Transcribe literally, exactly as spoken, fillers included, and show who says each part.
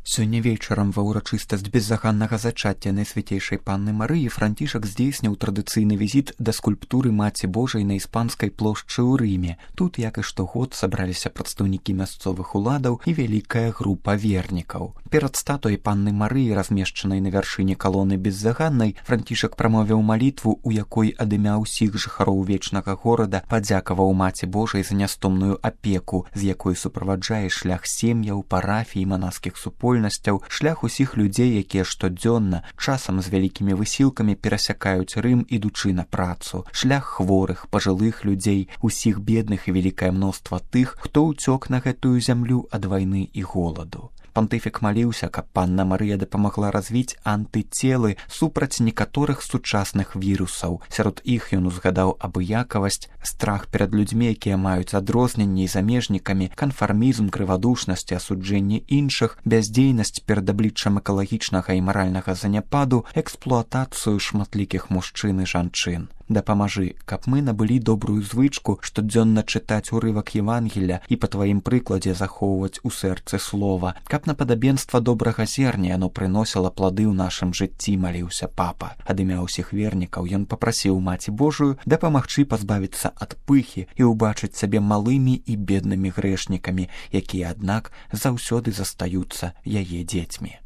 Speaker 1: Сёння вечарам ва ўрачыстасць беззаганнага зачацця Найсвяцейшай Панны Марыі Францішак здзейсніў традыцыйны візіт да скульптуры Маці Божай на іспанскай плошчы ў Рыме. Тут, як і штогод, сабраліся прадстаўнікі мясцовых уладаў і вялікая група вернікаў. Перад статуяй Панны Марыі, размешчанай на вяршыні калоны беззаганнай, Францішак прамовіў малітву, у якой ад імя ўсіх жыхароў вечнага горада падзякаваў Маці Божай за нястомную апеку, з якой суправаджае шлях сем'яў, парафій, манаскіх супольнасцяў, шлях усіх людзей, якія штодзённа, часам з вялікімі высілкамі перасякаюць Рым, ідучы на працу, шлях хворых, пажылых людзей, усіх бедных і вялікае мноства тых, хто ўцёк на гэтую зямлю ад вайны і голаду. Пантыфік маліўся, каб Панна Марыя дапамагла развіць антыцелы супраць некаторых сучасных вірусаў. Сярод іх ён узгадаў абыякавасць, страх перад людзьмі, якія маюць адрозненні і замежнікамі, канфармізм, крывадушнасць і асуджэнне іншых, бяздзейнасць перад абліччам экалагічнага і маральнага заняпаду, эксплуатацыю шматлікіх мужчын і жанчын. Дапамажы, каб мы набылі добрую звычку штодзённа чытаць урывак Евангелля і па тваім прыкладзе захоўваць у сэрцы слова, каб на падабенства добрага зерня яно прыносіла плады ў нашым жыцці, маліўся папа. Ад імя ўсіх вернікаў ён папрасіў Маці Божую дапамагчы пазбавіцца ад пыхі і ўбачыць сябе малымі і беднымі грэшнікамі, якія, аднак, заўсёды застаюцца яе дзецьмі.